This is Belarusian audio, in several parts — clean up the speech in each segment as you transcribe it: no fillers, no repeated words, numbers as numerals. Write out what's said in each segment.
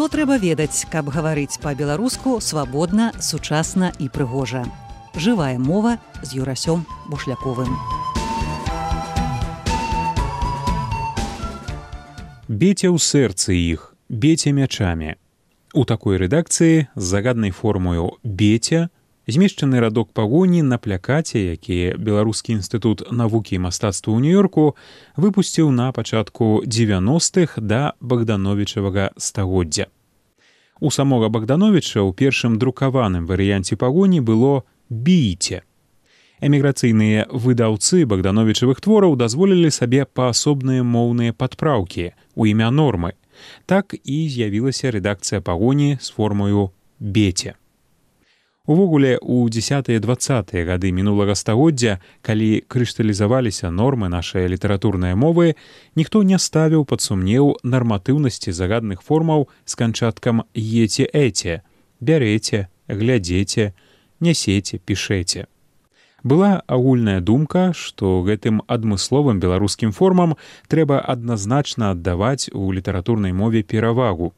Што трэба ведаць, каб гаварыць па-беларуску свабодна, сучасна і прыгожа. Жывая мова з Юрасём Бушляковым. Бейце ў сэрцы іх, бейце мячамі. У такой рэдакцыі з загаднай формою «бейце» змешчаны радок пагоні на плакаце, які Беларускі інстытут навукі і мастацтва ў Нью-Йорку выпусціў на пачатку 90-х да Богдановічавага стагоддзя. У самога Богдановіча ў першым друкаваным варыянце пагоні было «бійце». Эміграцыйныя выдаўцы Богдановічавых твораў дазволілі сабе паасобныя моўныя падпраўкі ў імя нормы. Так і з'явілася рэдакцыя пагоні з формою «бейце». Увогуле, у 10-20-е гады мінулага стагоддзя, калі крышталізаваліся нормы нашай літаратурнай мовы, ніхто не ставіў пад сумнеў нарматыўнасці загадных формаў з канчаткам «ете-эце» – бярэце, глядзеце, нясеце, пішэце. Была агульная думка, што гэтым адмысловым беларускім формам трэба адназначна аддаваць у літаратурнай мове перавагу.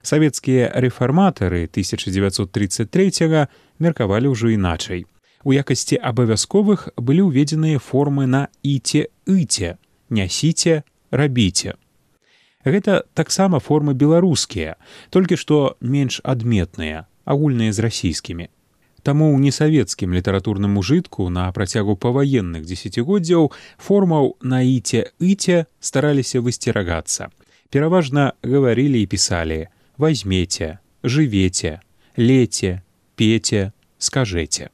Савецкія рэфарматары 1933-го меркавалі ўжо іначай. У якасці абавязковых былі ўведзеныя формы на «іце-ыце» – «нясіце», «рабіце». Гэта таксама формы беларускія, толькі што менш адметныя, агульныя з расійскімі. Таму ў несавецкім літаратурным ужытку на працягу паваенных дзесяцігоддзяў формаў на «іце-ыце» стараліся высцерагацца. Пераважна гаварылі і пісалі «возьмете», «живете», «лете», «пете», «скажете».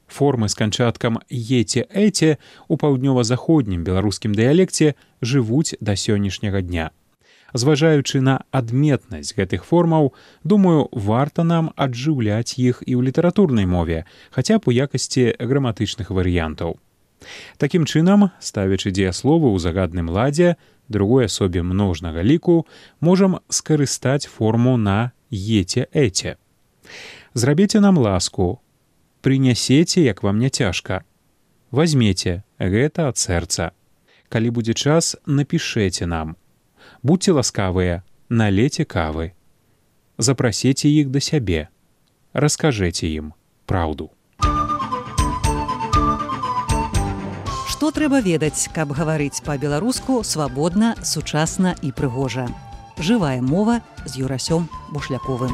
Формы з канчаткам «ете-эте» у паўднёва-заходнім беларускім дыялекце жывуць да сённяшняга дня. Зважаючы на адметнасць гэтых формаў, думаю, варта нам аджыўляць іх і ў літаратурнай мове, хаця б у якасці граматычных варыянтаў. Такім чынам, ставячы дзеясловы ў загадным ладзе, другой асобе множнага ліку, можам скарыстаць форму на «ете-эте». Зрабіце нам ласку, прынясеце, як вам не цяжка. Возьмеце, гэта ад сэрца. Калі будзе час, напішэце нам. Будьце ласкавыя, налейце кавы. Запрасіце іх да сябе. Раскажэце ім праўду. Што трэба ведаць, каб гаварыць па-беларуску свабодна, сучасна і прыгожа. Жывая мова з Юрасём Бушляковым.